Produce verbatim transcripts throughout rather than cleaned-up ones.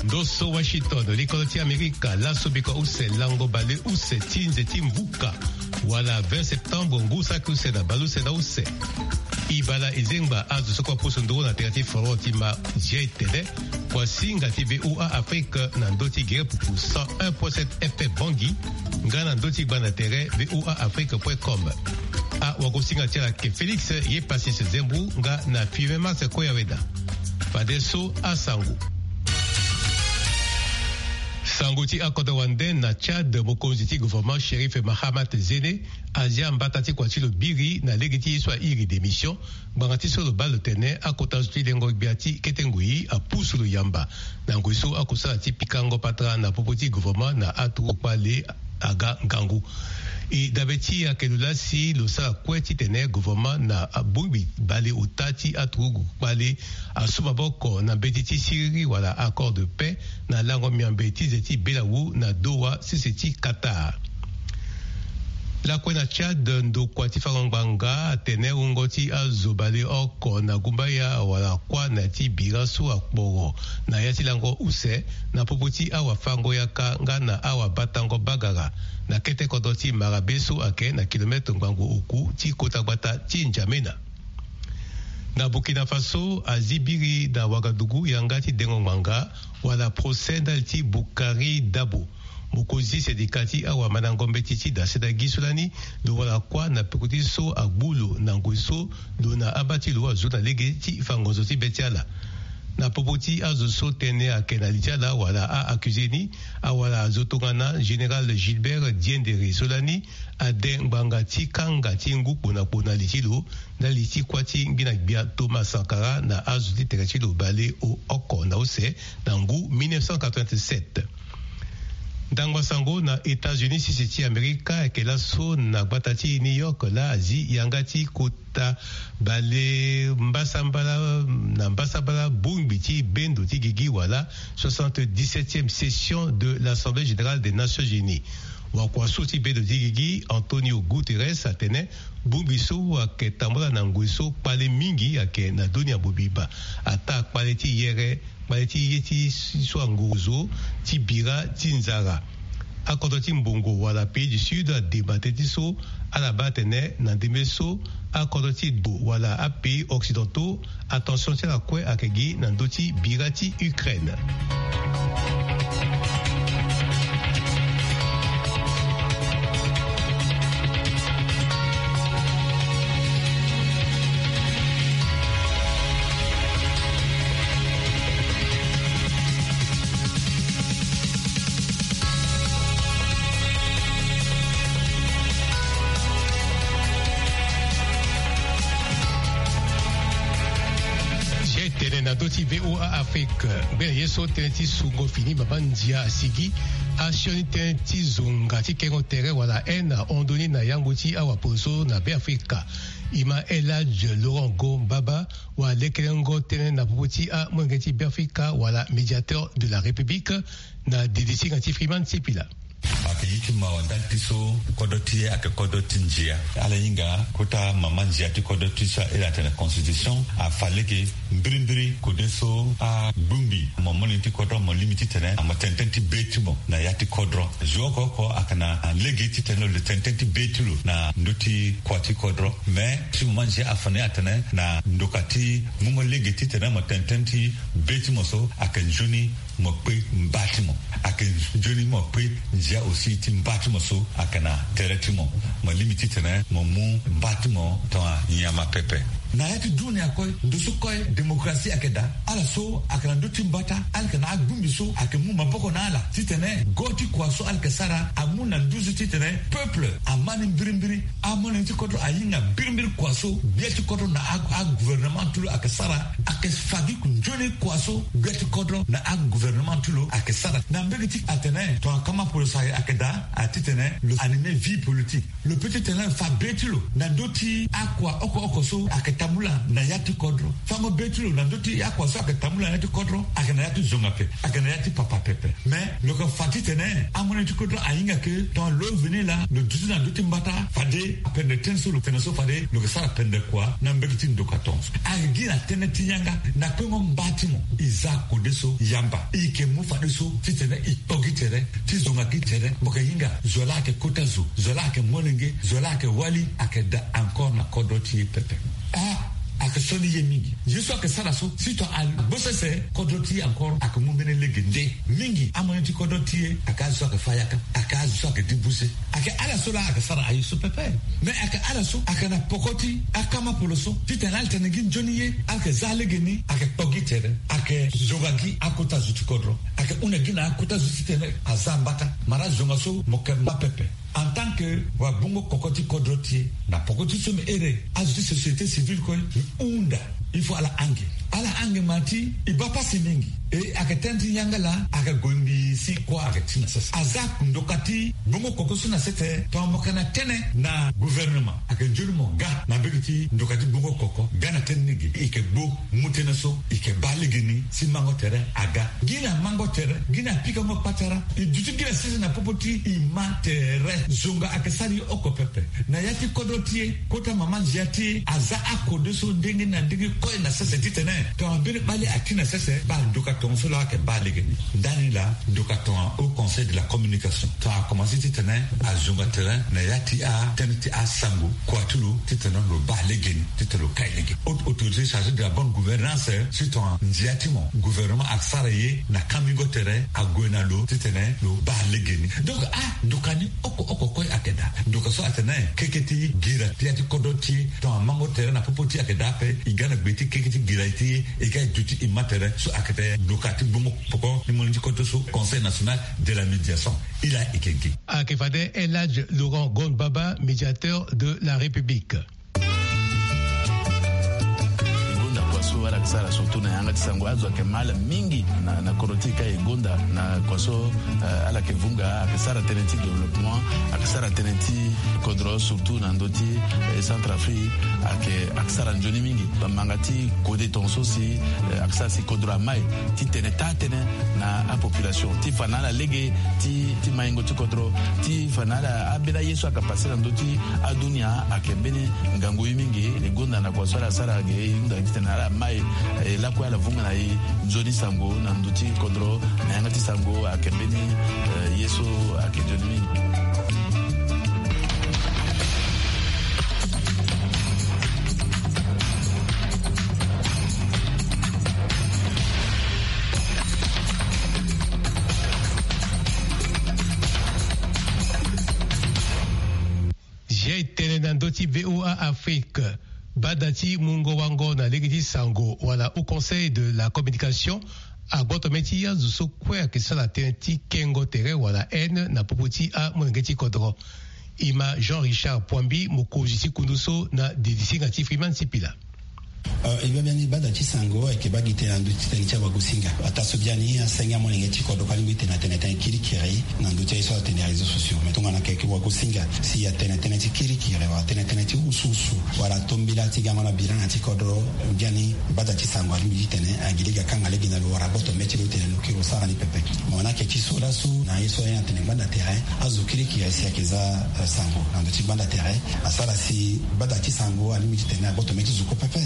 Ndo so Washington, likolo ti Amerika, laso biko use, lango bale use ti nze ti mvuka, wala vingt septembre, ngu saki use na bale use na use. E bale e zengba azo so kue apusu nduru na tere ti forum ti ma zia etene, kua singa ti V O A Afrique na ndö ti gere pupu cent un point sept F M Bangui, nga na ndö ti gbanda tere V O A Afrique point com. Awagosinga ti ala ayeke Félix Yepassis Zembou nga na Five Mars Koyaweda. Fadeso asango. Sango ti akodro wande na Tchad, mokonzi ti gouvernement Chérif Mahamat Zéné azia mbata ti kua ti lo biri na lege ti ye so a iri démission, ngbanga ti so lo baa lo tene akota zo ti lengo gbia ti kete ngoi apusu lo yamba na ngoi so akusala ti pikango patara na popo ti gouvernement na aturugu kpale aga ngangu. E dabe ti ayeke lo lasi lo sara kue titene gouvernement na abongbi bale ota ti aturugu kpale asu maboko na mbeti ti siriri wala accord de paix na lango miambe ti ze ti belawu na Doha, sese ti Qatar. Lakue na Tchad, ndokua ti fango ngbanga atene wungo ti azo bale oko na gumbaya wala kuâ na ya ti bira so akporo na ya ti lango use na popo ti awafango yaka nga na awabatango bagara na kete kodro ti Marabe so ayeke na kilometre ngbangbo oku ti kota gbata ti N'Djamena. Na Burkina Faso, azi biri na Ouagadougou yanga ti dengo ngbanga wala procès ndali ti Boukari Dabo, mokonzi ti sendika ti awamandango mbeti ti dasedagi so lani lo wara kuâ na peko ti so agbu lo na ngoi so lo na aba ti lo azu na lege ti fa ngonzo ti be ti ala. Na popo ti azo so tënë ayeke na li ti ala wala a-accusé ni, awara azo tongana général Gilbert Diendéré so lani ade ngbanga ti kanga ti ngu kpo na kpo na li ti lo ndali ti kuâ ti ngbina gbia Thomas Sankara na azo ti tere ti lo bale o oko na use na ngu mille neuf cent quatre-vingt-sept. Ndangba sango na États-Unis, sese ti Amerika, ayeke laso na gbata ti New York laa azi yanga ti kota bale mbasambala na mbasambala bongbi ti bendo ti gigi wala soixante-dix-septième session de l'Assemblée générale des Nations Unies. Wakua so ti bendo ti gigi, Antonio Guterres, atene bongbi so ayeke tambula na ngoi so kpale mingi ayeke na dunia mobimba, ataa kpale ti yere, kpale ti ye ti so anguru zo ti bira ti nzara. Akodro ti mbongo wala pays du sud ademba tënë ti so, ala baa atene na ndembe so akodro ti do wala apays occidentaux, attention ti ala kue ayeke gi na ndö ti bira ti Ukraine. Tene na ndö ti V O A Afrique, ngbene ye so tënë ti sungo fini mama ndia asigi. Asioni tënë ti zonga ti kengo tere wala haine ahon ndoni na yangbu ti awaposo na Beafrika. E ma Elhadj Laurent Go Mbaba, walekelengo tënë na popo ti amolenge ti Beafrika wala médiateur de la République, na didi ti hinga ti Freeman Sipila. Ayeke ye ti mawa ndali ti so kodro ti e ayeke kodro ti ndia. Ala hinga kota mama ndia ti kodro ti so ahiri atene constitution afa lege mbirimbiri kode so agbongbi mo molenge ti kodro mo lingbi titene mo tene tënë ti be ti mo na ya ti kodro. Zo oko oko ayeke na lege titene lo tene tënë ti be ti lo na ndö ti kua ti kodro. Mais ti mama ndia afa ni atene na ndoka ti mungo lege titene mo tene tënë ti be ti mo so ayeke nzoni mo kpe mba ti mo. Ayeke nzoni mo kpe ndia aussi ti mba ti mo so ayeke na tere ti mo. Mo lingbi titene mo mu mba ti mo tongana nyama pepe. Na ya ti dunia kue, ndo so kue démocratie ayeke daa. Ala so ayeke na ndö ti mbata, ala yeke na agbongbi so ayeke mu maboko na ala titene go ti kua so ala yeke sara amu na nduzu titene peuple ama ni mbirimbiri. Amolenge ti kodro ahinga mbirimbiri kua so gbia ti kodro na a, agouvernement ti lo ayeke sara, ayeke fa gi nzoni kua so gbia ti kodro na agouvernement ti lo ayeke sara. Na mbege ti atene tongana kama poroso ayeke daa, atitene lo animer vie politique. Lo peut ti tene fa be ti lo na ndö ti akua oko oko so ayeke tambula na ya ti kodro. Fango be ti lo na ndö ti akua so ayeke tambula na ya ti kodro ayeke na ya ti zonga ape, ayeke na ya ti papa pepe. Mais lo yeke fa titene amono ti kodro ahinga ke tongana lo veni laa lo duti na ndö ti mbata fade apende tënë so lo tene so fade lo yeke sara pende kua na mbege ti ndoka tonga so. Ayeke gi na tënë ti yanga na kpengo mba ti mo. E za kode so yamba e yeke mu fadeso titene e kpo gi tere ti zonga gi tere. Mo yeke hinga zo laa ayeke kota zo, zo laa ayeke molenge, zo laa ayeke wali, ayeke daa encore na kodro ti e pepe. Ah, ayeke sioni ye mingi. Ye so ayeke sara so si tongana agbo sese kodro ti e encore ayeke mu mbeni lege nde. Mingi amono ti kodro ti e ayeke azo so ayeke fâ yaka, ayeke azo so ayeke débouché. Ayeke ala so laa ayeke sara aye so pepe. Mais ayeke ala so ayeke na poko ti akamapolo so titene ala tene gi nzoni ye, ala yeke za lege ni, ayeke kpo gi tere, ayeke zonga gi akota zo ti kodro, ayeke hunda gi na akota zo titene aza mbata. Mara zonga so mo yeke mba pepe. En tant que wabungo koko ti kodro ti e na poko ti so me ere azo ti société civile kue, e hunda il faut ala ange. Ala ange ma ti e baa pasi mingi. E ayeke tënë ti yanga laa ayeke gue mbi si kua ayeke ti na sese. Aza ndoka ti bungo koko so na sese. Tongana mo yeke na tënë na gouvernement ayeke nzoni mo ga na mbege ti ndoka ti bungo koko, ga na tënë ni ge. E yeke gbu mu tënë so, e yeke baa lege ni si mango tere aga. Gi na mango tere, gi na pikango patara. E duti gi na sese na popo ti e ma tere. Zonga ayeke sara ye oko pepe. Na ya ti kodro ti e, kota mama nzia ti e aza akode so ndenge na ndenge kue na sese titene tongana mbeni kpale ati na sese baa ndoka tongo so laa ayeke baa lege ni. Ndani laa ndoka tongana Haut Conseil de la Communication tongana akomanse titene azonga tere na ya ti atënë ti asango kua ti lo titene lo baa lege ni, titene lo kai lege. Haute autorité chargée de la bonne gouvernance, si tongana nzia ti mo gouvernement asara ye na kamingo tere ague na lo titene lo baa lege ni. Donc andoka ni oko oko kue ayeke daa. Ndoka so atene keke ti gira ti ya ti kodro ti e tongana mango tere na popo ti e ayeke daa ape. E ga na gbe ti keke ti gira ti e, e ga e duti e ma tere so ayeke tene ndoka ti bongo poko ni molenge ti kodro so, Conseil national de la médiation. E laa e yeke gi. Ayeke fade El Hadj Laurent Gon Baba, médiateur de la République. E gonda kua so ala yeke sara surtout na yanga ti sango, azo ayeke ma ala mingi na, na kodro ti e ka e gonda na kua so, eh, ala yeke vunga, ayeke sara tënë ti développement, ayeke sara tënë ti kodro surtout na ndö ti, eh, Centrafrique, ayeke, ayeke sara nzoni mingi. Bamanga ti kode tongaso si, eh, ayeke sara si kodro amai titene taa tënë na apopulation ti fa na ala lege ti, ti maingo ti kodro, ti fa na ala ambeni aye so ayeke pase na ndö ti adunia ayeke mbeni ngangu ye mingi. E gonda na kua so ala sara ge, e hunda titene ala mai, eh, lakue ala vunga na e nzoni sango na ndö ti kodro, na yanga ti sango ayeke mbeni, eh, ye so ayeke nzoni mingi. Zia e tene na ndö ti V O A Afrique. Bada ti mungo wango na lege ti sango wala Haut Conseil de la Communication agboto mê ti azo so kue ayeke sara tënë ti kengo tere wala haine na popo ti amolenge ti kodro. E ma Jean Richard Poambi, mokonzi ti kundu so, na didisinga ti Freeman Sipila. Euh, e baa biani bada ti sango ayeke baa gi tënë na ndö ti tënë ti awagosinga. Ataa so biani asenge amolenge ti kodro kue alingbi ti tene atene tënë kirikiri na ndö ti aye so atene réseaux sociaux. Mais tongana ayeke wagosinga si atene tënë ti kirikiri wala atene tënë ti wusuwusu wala atombela ti gango na bira na ya ti kodro, biani bada ti sango alingbi ti tene agi lege akanga lege na lo wala agboto mê ti lo ti tene lo kiri lo sara ni pepe. Mo na ayeke ti so laso na ye so aye atene gbanda tere, azo kirikiri si ayeke za, eh, sango na ndö ti gbanda tere asara si bada ti sango alingbi ti tene agboto mê ti zo kue pepe.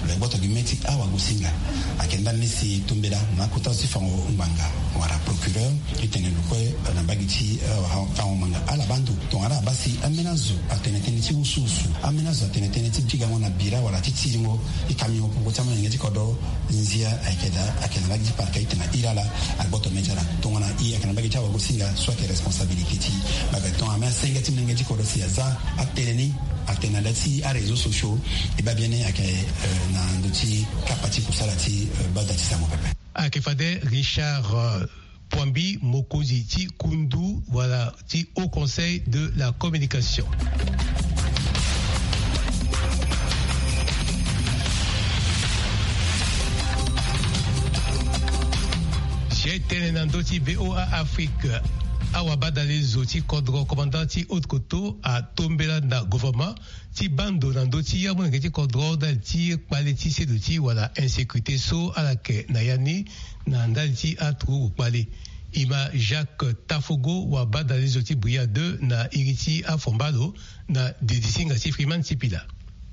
Lo gboto gi mê ti awagosinga. Ayeke ndani ni si tombela na akota zo ti fango ngbanga wala procureur ti tene lo kue na mbage ti, eh, fango ngbanga ala baa ndo. Tongana ala baa si ambeni azo atene tënë ti wusuwusu, ambeni azo atene tënë ti bigango na bira wala ti tiringo ti kamingo popo ti amolenge ti kodro, nzia ayeke daa, ayeke na mbage ti parquet ti tene iri ala, agboto mê ti ala. Tongana e ayeke na mbage ti awagosinga so ayeke responsabilité ti e. Baba tongana amê asenge ti molenge ti kodro si aza atene ni, atene na le ti aréseaux sociaux, e baa biani ayeke, euh, na ndö ti kapa ti kusala ti, euh, bada ti sango pepe. Ayeke fade Richard, euh, Poambi, mokonzi ti kundu wala ti Haut Conseil de la Communication. Zia e tene na ndö ti V O A Afrique. Awabadalezo ti kodro, commandant ti Haute-Koto, atombela na gouvernement ti baa ndo na ndö ti amolenge ti kodro ndali ti kpale ti seduti wala insécurité so ala yeke na ya ni na ndali ti aturugu kpale. E ma Jacques Tafogo, wabadalezo ti Bria deux, na iri ti Afombalo, na didi ti ngangu ti Freeman Sipila.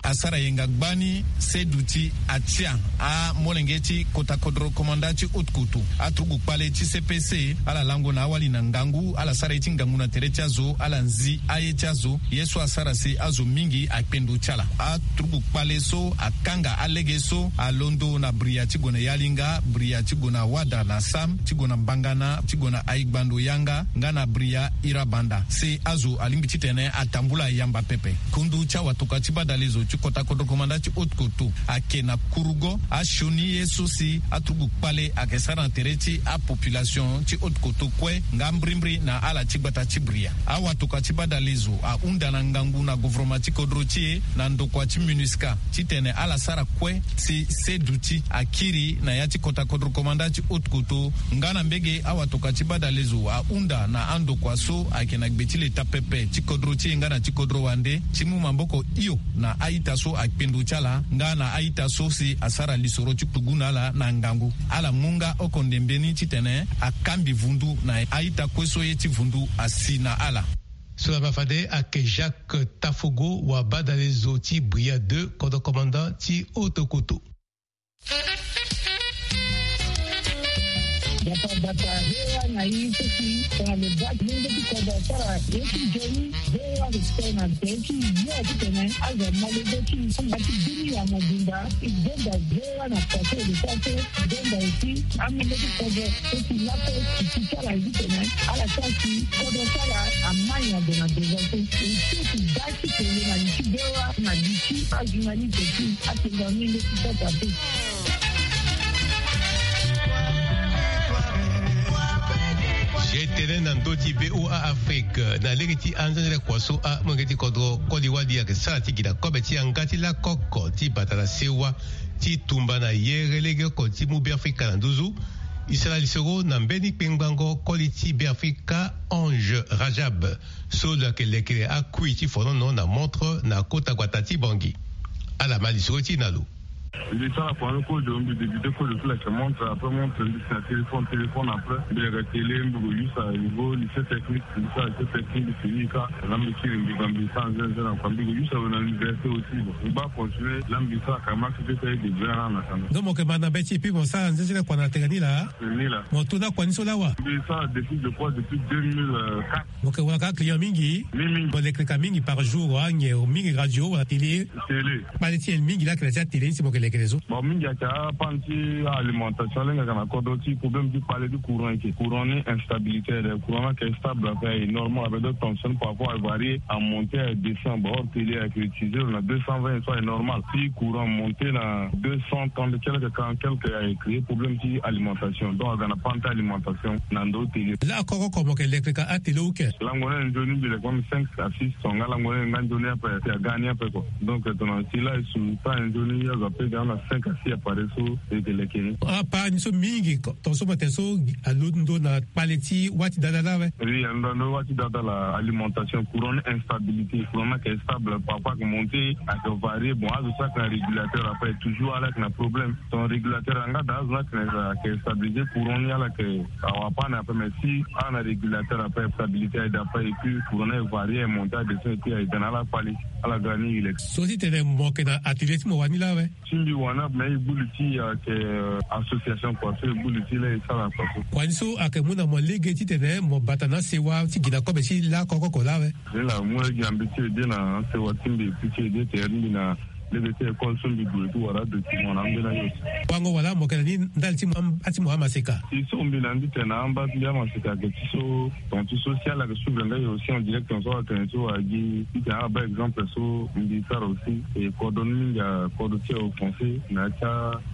Asara yenga gbani seduti atia amolenge ti kota kodro, komanda ti Haute-Koto, aturugu kpale ti C P C, ala lango na awali na ngangu, ala sara ye ti ngangu na tere ti azo, ala nzi aye ti azo, ye so asara si azo mingi akpe ndo ti ala. Aturugu kpale so akanga alege so alondo na Bria ti gue na Yalinga, Bria ti gue na Wada na Sam, ti gue na Mbangana, ti gue na Aigbando Yanga, nga na Bria Irabanda, si azo alingbi titene atambula yamba pepe. Kundu ti awatoka ti badalezo ti kota kodro, komanda ti Haute-Koto, ayeke na kurugo asioni ye so si aturugu kpale ayeke sara na tere ti apopulation ti Haute-Koto kue nga mbrimbri na ala ti gbata ti Bria. Awatoka ti badalezo ahunda na ngangu na gouvernement ti kodro ti e na ndokua ti MINUSCA titene ala sara kue si seduti akiri na ya ti kota kodro, komanda ti Haute-Koto, nga na mbege awatoka ti badalezo ahunda na andokua so ayeke na gbe ti leta pepe ti kodro ti e nga na ti kodro wande ti mu maboko hio na a-ita so akpe ndo ti ala nga na a-ita so si asara lisoro ti tugu na ala na ngangu. Ala mu nga oko ndembe ni titene akambi vundu na a-ita kue so ye ti vundu asi na ala. So laa ma fade ayeke Jacques Tafogo, wabadalezo ti Bria deux, kodro commandant ti Haute-Koto. Bata bata, V O A na i so si tongana lo baa ti lenge ti kodro asara ye ti nzoni, V O A lo sere na tere ti yo titene azo amolenge ti i ti bini ya mobimba. I gonda V O A na pase lo sara so, i gonda aussi amolenge ti kodro so si laso ti ti ti ala ye titene ala sara si kodro ti ala amai na ndo na ndo so. I so ti baa ti tene na li ti V O A na li ti ajournaliste ti atene na lenge ti sasa te. Ge tene na ndö ti V O A Afrique na lege ti anzenzele kua so amolenge ti kodro koli wali ayeke sara ti gi na kobe ti yanga ti lakoko ti bata na sewa ti tumba na yere lege oko ti mu Beafrika na nduzu. E sara lisoro na mbeni kpengbango koli ti Beafrika, Ange Rajab, so lo yeke lekere akui ti fonono na montre na kota gbata ti Bangui. Ala ma lisoro ti e na lo. Mbi sara kua ni kozo, mbi débuté kozo ti leke montre, après montre mbi si na téléphone, téléphone après mbi leke télé, mbi gue use à niveau lycée technique, mbi sara lycée technique, mbi fini ka. Là mbi kiri mbi ga mbi sara nzenze na kua, mbi gue use awe na l'université aussi. Bon, mbi baa continuer, là mbi sara ka max ti ti aye début na na kanda. Donc mo yeke ma na be ti et puis mo sara nzenze kua na tere ni laa. Ni laa. Mo to na kua ni so laa wa? Mbi sara depuis, je crois, depuis deux mille quatre. Mo yeke wara ka client mingi? Mingi, mingi. Mo lekere ka mingi par jour, anyen mingi radio wala télé? Télé. Kpale ti nyen mingi laa ayeke na ti atélé ni si mo yeke lekere so? Bon, mingi ayeke apande ti alimentation, lenge ayeke na kodro ti problème ti kpale ti courant, ayeke courant ni instabilité, le courant ni ayeke stable, ayeke normal, avec d'autres tensions parfois avarier, amonter, adescend. Bon, hors télé ayeke utiliser na deux cent vingt, soit normal. Si courant monter na deux cent trente quelque, quarante quelque, ayeke créer problème ti alimentation. Donc aga na panne ti alimentation na ndo télé. Lakoko oko mo yeke lekere ka atélé ou ke? Lango ni nzoni mbi leke même cinq à six tonnes, nga lango ni nga nzoni ape, si aga ni ape quoi. Donc tongana si la e su ta nzoni azo ape ga na cinq à six appareils so e yeke leke ni. Apart ni so mingi ko, tongaso mo tene so alondo na kpale ti wâ ti dada laa awe? Oui, alondo na wâ ti dada laa, alimentation, courant ni instabilité, courant ni ayeke stable, parfois ayeke monter, ayeke varier. Bon, azo so ayeke na régulateur ape toujours ala yeke na problème. Ton régulateur anga da azo ni ayeke na, ayeke stabiliser, courant ni ala yeke awa panne ape, mais si ala na régulateur ape, stabilité aye daa ape, et puis courant ni aye varier, aye monter, aye descend, et puis aye ga na ala kpale, ala ga ni e leke. So ti tene mo yeke na atelier ti mo wani laa awe? Ti mbi wani ape, mais e gbu li ti e ayeke, euh, association kua so e gbu li ti e laa e sara kua so. Kua ni so ayeke mu na mo lege titene mo bata na asewa ti gi na kobe ti lakoko oko laa awe? Ni laa mu lege na mbi ti aider na asewa ti mbi, ti aider tere ti mbi na lege ti école so mbi gue ti wara adocument na ambeni aye aussi. Wango wala mo yeke na ni ndali ti mo am-, a ti mo amaseka? Ti so mbi na ni titene na amba ti mbi amaseka ayeke ti so, ton ti social ayeke suivre nga e aussi en direct, ton so atene so agi titene ala baa exemple so mbi sara aussi. E kodro ni mingi akodro ti e offensé na ya ti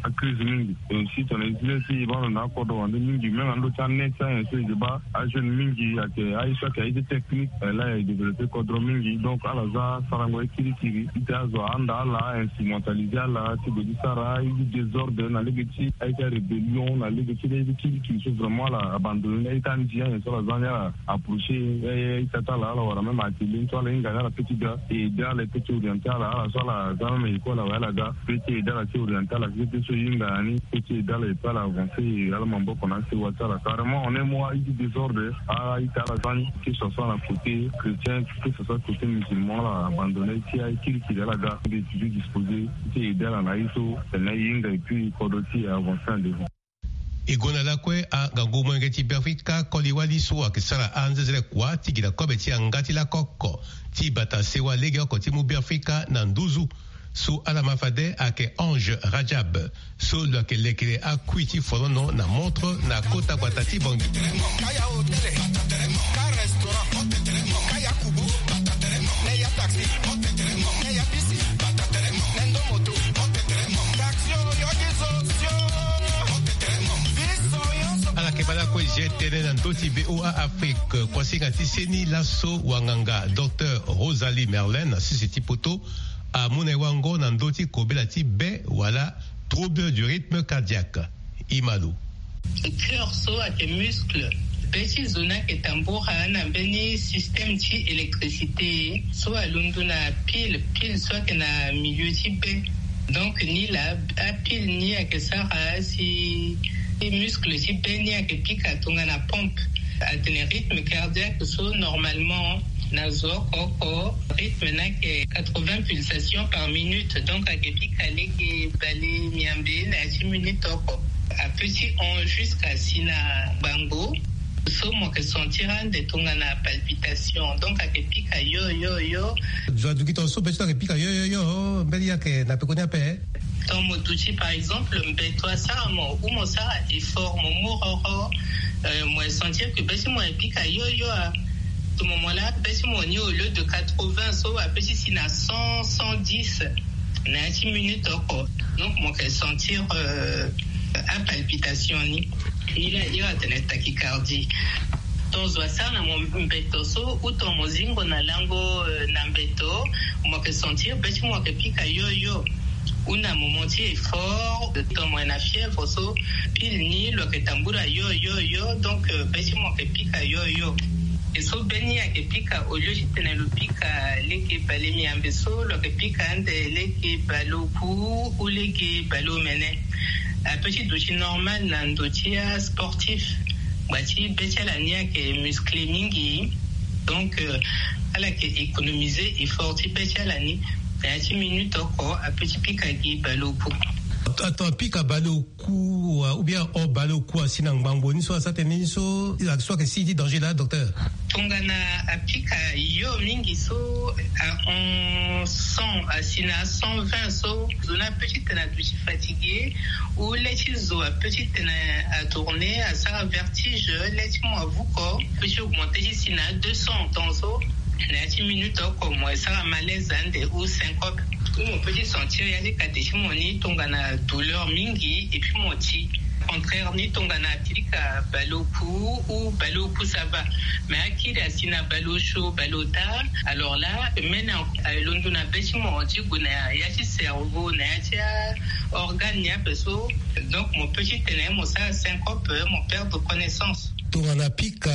acrise mingi. Et aussi tongana e zi lê ti e baa ndo na akodro wande mingi, même na ndö ti anet ti anyen so e yeke baa ajeune mingi ayeke aye so ayeke aye ti technique, eh, laa e développé kodro mingi. Donc ala za sarango ye kirikiri titene azo ahanda ala Ainstrumentaliser ala ti gue ti sara aye ti désordre na lege ti aye ti arébellion na lege ti kirikiri so vraiment ala abandonné ni. Aye ti andia nyen so ala za ni ala approcher aye ti ata ala ala wara même atelier ni so ala hinga ni ala pe ti ga et aider ala pe ti orienter ala ala so ala za même école awe ala ga pe ti aider ala ti orienter ala ti pe so e hinga na ni pe ti aider ala et puis ala avancer ala maboko na asewa ti ala carrément en un mot aye ti désordre. Aye ti ala za ni que ce soit na côté chrétien que ce soit côté musulman ala abandonné ti aye kirikiri ala ga de toujours disposer ti aider ala na aye so tene e hinga et puis kodro ti e avancer en devant. E gonda lakue angangu molenge ti Beafrika koli wali so ayeke sara anzezele kua ti gi na kobe ti yanga ti lako oko ti bata sewa lege oko ti mu Beafrika na nduzu. So ala ma fade ayeke Ange Rajab so lo yeke lekere akui ti folono na montre na kota gbata ti Bangui. Ala yeke baa lakue je tënë na ndö ti VOA Afrique kuasinga ti seni laso wanganga docteur Rosalie Merlin na sese ti poto amu na e wango na ndö ti kobela ti be wala trouble du rythme cardiaque. E ma lo. Cœur so ayeke muscle, be ti zo ni ayeke tambura na mbeni système ti électricité so alondo na pile pile so ayeke na milieu ti be. Donc ni laa apile ni ayeke sara si muscle ti be ni ayeke pika tongana pompe. Atene rythme cardiaque so normalement na zo oko oko rythme ni ayeke quatre-vingts pulsations par minute, donc ayeke pika lege bale miambe na ya ti minute oko. Ape ti hon jusqu'à si na gbango so mo yeke sentir ande tongana palpitation, donc ayeke pika yo yo yo. Zo aduki tonga so be ti lo ayeke pika yo yo yo mbeni ayeke na pekoni ape. Tant mo duti par exemple mbeto asara mo ou mo sara effort mo mu roro, euh, mo sentir que be ti mo ayeke pika yo yo a. Tout moment là be ti mo ni au lieu de quatre-vingts so ape ti si na cent, cent dix na ya ti minute oko. Donc mo yeke sentir euh, apalpitation ni. Ni la iri atene tachycardie. Ton zo asara na mo mbeto so ou ton mo zingo na lango euh, na mbeto, mo yeke sentir be ti mo yeke pika yo yo. Ou na moment ti effort ton mo yeke na fièvre so pile ni lo yeke tambula yo yo yo, donc euh, be ti mo yeke pika yo yo. E so be ni ayeke pika au lieu ti tene lo pika lege bale miambe so lo yeke pika ande lege bale oku ou lege bale omene. Ape ti duti normal na ndo ti asportif. Ngba ti be ti ala ni ayeke musclé mingi. Donc euh, ala yeke économiser effort ti be ti ala ni. Na ya ti minute oko ape ti pika gi bale oku. Ato apika bale oku ou bien ahon bale oku asi na ngbangbo ni so asara tënë ni so ayeke si ti danger laa docteur? Tongana apika yo mingi so ahon cent asi na cent vingt so zo ni ape ti tene aduti fatigué ou le ti zo ape ti tene atourné asara vertige le ti mo avuko ape ti augmenté ti si na deux cents temps so na ya ti minute oko mo esara malaise ande ou syncope ou mo pe ti sentir ya ti kate ti mo ni tongana douleur mingi et puis mo ti contraire ni tongana apika bale oku ou bale oku ça va. Mais akiri asi na bale osio bale ota alors là mene alondo na be ti mo ti gue na ya ti cerveau na ya ti organe ni ape so. Donc mo pe ti tene mo sara syncope mo perdre connaissance. Tongana apika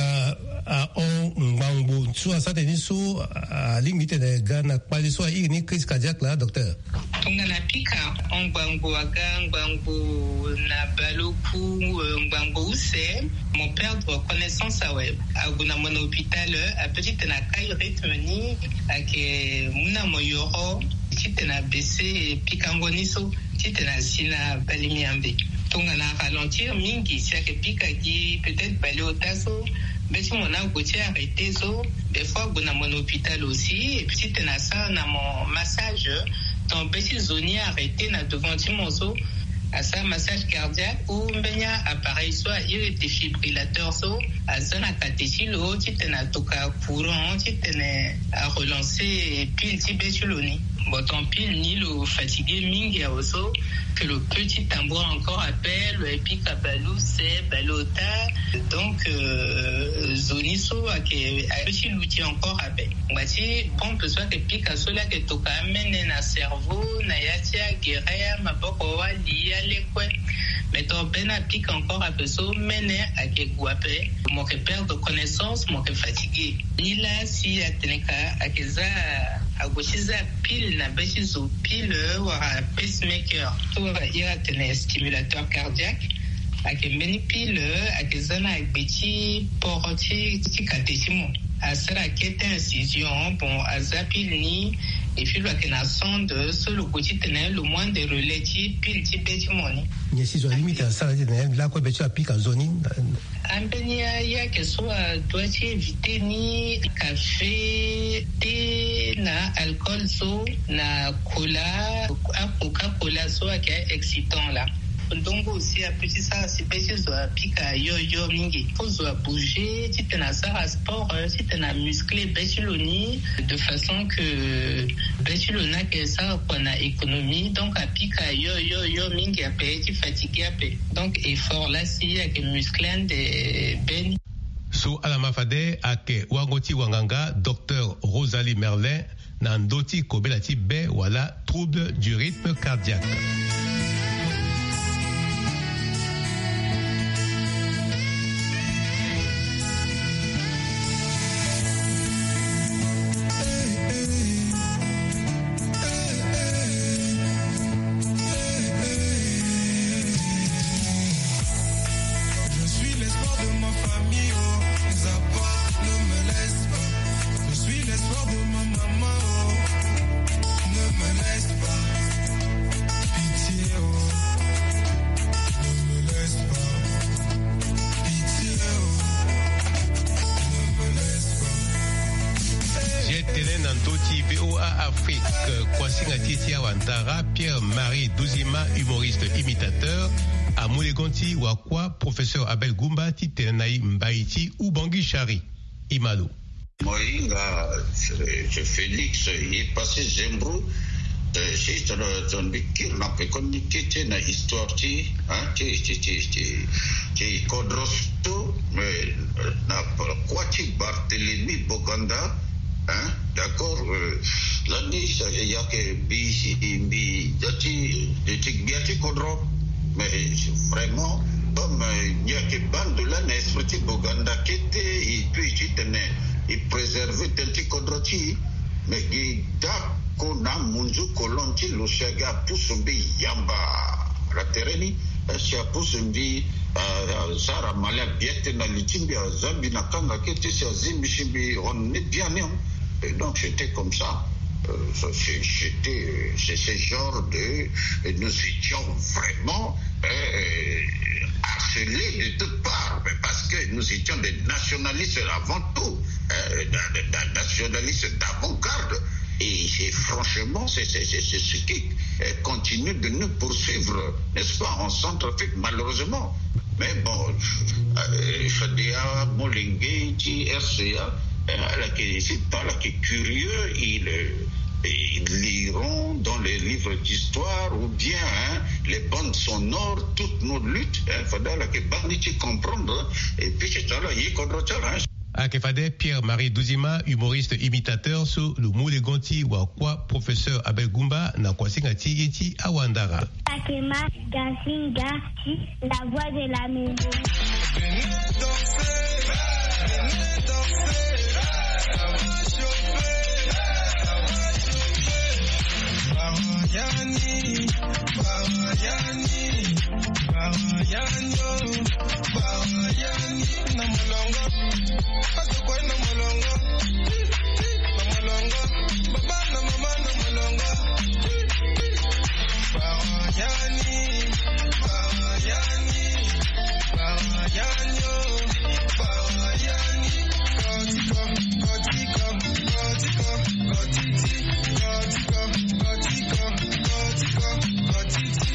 ahon ngbangbo so asara tënë ni so alingbi ti tene ga na kpale so airi ni crise cardiaque laa docteur? Tongana apika ahon ngbangbo aga ngbangbo na bale oku euh, ngbangbo use mo perdre connaissance awe. Ague na mo na hôpital ape ti tene akai rythme ni ayeke mu na mo yoro ti tene abaisser pikango ni so ti tene asi na bale miambe. Tongana aralentir mingi si ayeke pika gi peut-être bale ota so be ti mo ni ague ti arrêté so des fois ague na mo na hôpital aussi et puis ti tene asara na mo massage. Donc be ti zo ni arrêté na devant ti mo so asara massage cardiaque ou mbeni appareil so airi défibrillateur so aza na kate ti lo ti tene atoka courant ti tene arelancer pile ti be ti lo ni. Bon, ton pile ni lo fatigué mingi awe so, que lo petit tambour encore appel, lo pika bale use, bale ota. Donc, euh, zo ni so ake, ake ti luti encore ape. Ngba ti pompe so ake pika so la ake toka amene na cerveau, na ya ti agere, amaboko, wali, alekue. Mais ton bene apika encore ape so mene ake gue ape. Mo ke perdre connaissance, mo ke fatigué. Ni la si atene ka ake za, ague ti za pile na be ti zo pile wala pacemaker. So wala iri atene stimulateur cardiaque. Ake mbeni pile, ake za na gbe ti poro ti, ti kate ti mo. Asara kete incision, bon, aza pile ni, et puis lo ake na sonde, so lo gue ti tene lo moins de relais ti pile ti be ti mo ni. Nyen si zo alimite asara ti tene lakue be ti apika zo ni? Ambeni aye ake so adoit ti éviter ni café, thé na alcool so, na cola, a Coca-Cola so ake excitant la. Ndongo aussi ape ti sara si be ti zo apika yo yo mingi. Faut zo abouger, ti tene asara sport, euh, ti tene amuscler be ti lo ni, de façon que be ti lo ni ake sara kua na économie. Donc apika yo yo yo mingi ape, ti fatigué ape. Donc effort la si ake muscler ande be ni. So ala ma fade ake wango ti wanganga, docteur Rosalie Merlin, na ndö ti kobela ti be wala trouble du rythme cardiaque. Je suis l'espoir de ma famille, oh, ne me laisse pas. Je suis l'espoir de ma maman, oh, ne me laisse pas. Pitié, oh, ne me laisse pas. Pitié, oh, ne me laisse pas. Hey. Ye tene na ndö ti V O A Afrique, kuasinga ti e ti awandara, Pierre-Marie Duzima, humoriste imitateur, amu legon ti wakua professeur Abel Goumba ti tene na e mbai ti Ubangui Chari. E ma lo. Mo hinga, eh, Félix, ye passé Zembro, eh, si tongana, tongana mbi kiri na pekoni ni kete na histoire ti, hein, ti, ti, ti, ti, ti kodro so, eh, na kua ti Barthélemy Boganda, hein, d'accord, euh, lani sa, ya ke mbi, mbi, ya ti, ti gbia ti kodro. Mais vraiment, comme, euh, nyen ake baa ndo lani na esprit ti Boganda kete, e peut ti tene e préserver tënë ti kodro ti e, mais gi dako na munzu kolon ti lo si aga apusu mbi yamba na tere ni, eh, si apusu mbi, eh, asara mali abiete na li ti mbi, aza mbi na kanga kete si azi mbi si mbi hon ni biani. Et donc, c'était comme ça. Euh, ça, c'est, c'était, euh, c'est ce genre de, et nous étions vraiment, euh, harcelés de toutes parts, mais parce que nous étions des nationalistes avant tout, euh, da-, da-, da-, nationalistes d'avant-garde. Et c'est franchement, c'est, c'est, c'est, c'est ce qui, euh, continue de nous poursuivre, n'est-ce pas, en Centrafrique, malheureusement. Mais bon, euh, fade amolenge ti R C A, euh, ala yeke, si ala yeke curieux, ils, euh, ils liront dans les livres d'histoire ou bien, hein, les bandes sonores toutes nos luttes, hein, fade ala yeke baa ni ti comprendre, hein, et puis ti tene ala ye kodro ti ala, hein. Ayeke fade Pierre-Marie Duzima, humoriste imitateur, so lo mu legon ti wakua professeur Abel Goumba na kuasinga ti ye ti awandara. Takema Gasinga, la voix de la maison. Venez danser, venez danser, ça va chauffer, ça va chauffer. Bayani, bayani. Bayani, oh, bayani, na molongo. Paso kwe na molongo. Na molongo. Baba na mama na molongo. Bayani, bayani, bayani, oh, bayani. Kotiko, kotiko, kotiko, kotiti, kotiko, kotiko, kotiko, kotiti.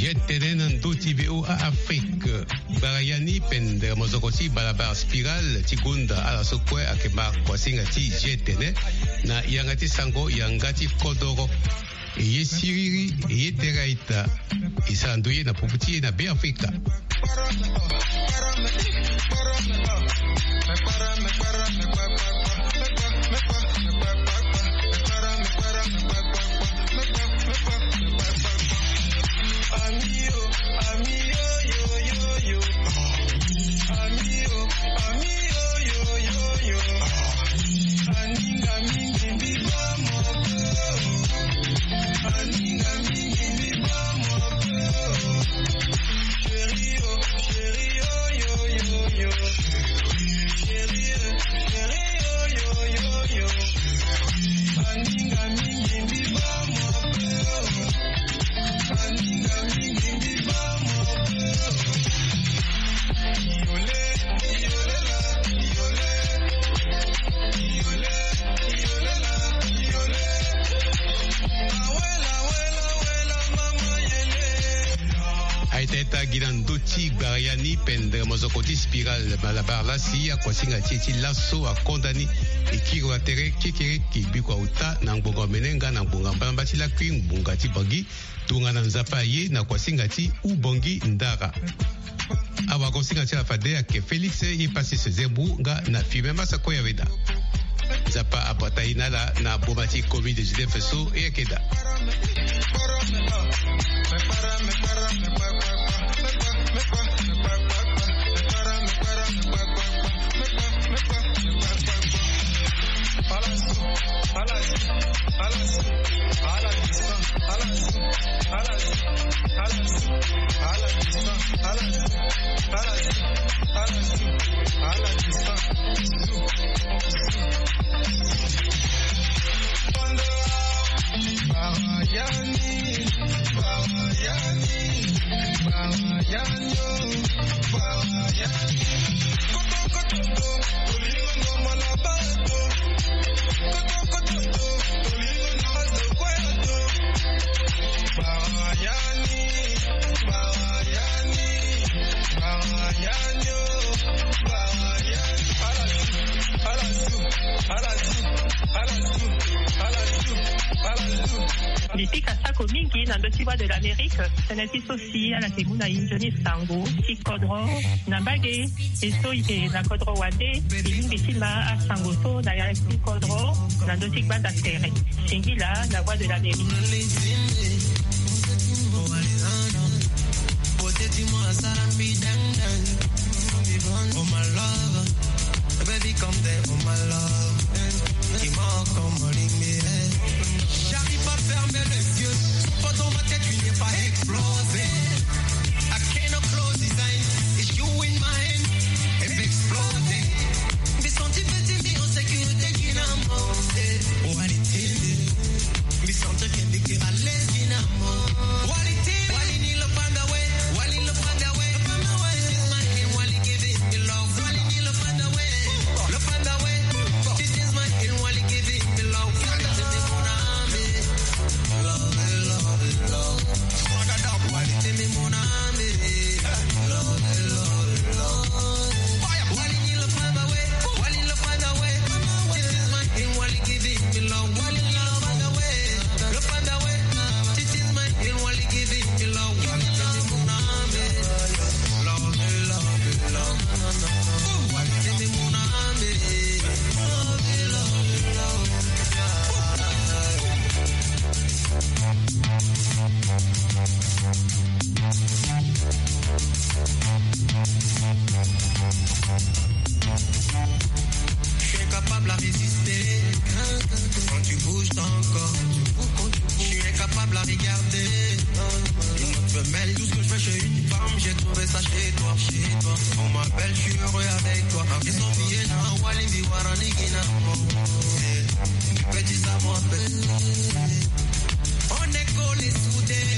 Ye tene na ndö ti V O A Afrique. Gbara ya ni pendere mozoko ti balabala spirale ti gonda ala so kue ayeke ma kuasinga ti G T N na yanga ti sango yanga ti kodoro. E ye siriri, e ye tere aita. E sara ndoye na popo ti e na Be Afrika. Aita aita gi na ndö ti gbara ya ni pendere mozoko ti spirale malabar lasi akuasinga ti e ti laso akonda ni. E kiri wa tere kekereke biko auta na ngbonga omene nga na ngbonga mbalamba ti lakui ngbonga ti Bangui. Tongana Nzapa aye na kuasinga ti Ubangui Ndara. Awagosinga ti ala fade ayeke Félix ye Passis Zembu nga na Firmin Massakoya Weda. Nzapa abata ye na ala na boma ti covid dix-neuf so e yeke daa. Mbi pika sako mingi na ndö ti Voix de l'Amérique, tënë ti so si ala yeke mu na e nzoni sango ti kodro na mbage. E so e yeke na kodro wande, e lingbi ti ma asango so na ya ti kodro na ndö ti gbanda tere. Singila na Voix de l'Amérique. J'arrive pas à fermer les yeux. Pendant ma tête, une pas explosé. I cannot close his eyes. It's you in my hand. It's exploding. Mbi senti pe ti mbi en sécurité, gi na mo. Eh, oh, allez, tell me. Mbi senti que mbi ke à l'aise, gi na mo. Wali tell me. Wali ni lo panda we. Wali lo panda we. Panda we. This is my hand, Wali give it me love. Wali ni lo panda we. Lo panda we. This is my hand, Wali give it me love. Wali give it me love. Je suis incapable à résister quand tu bouges ton corps. Je suis incapable à regarder une autre femelle. Tout ce que je veux, c'est une femme. J'ai trouvé ça chez toi, chez toi. On m'appelle, je suis heureux avec toi. Ils sont bien, non, Wali, Biwara, Nigina. Petit, ça m'appelle. On est collés, soudés.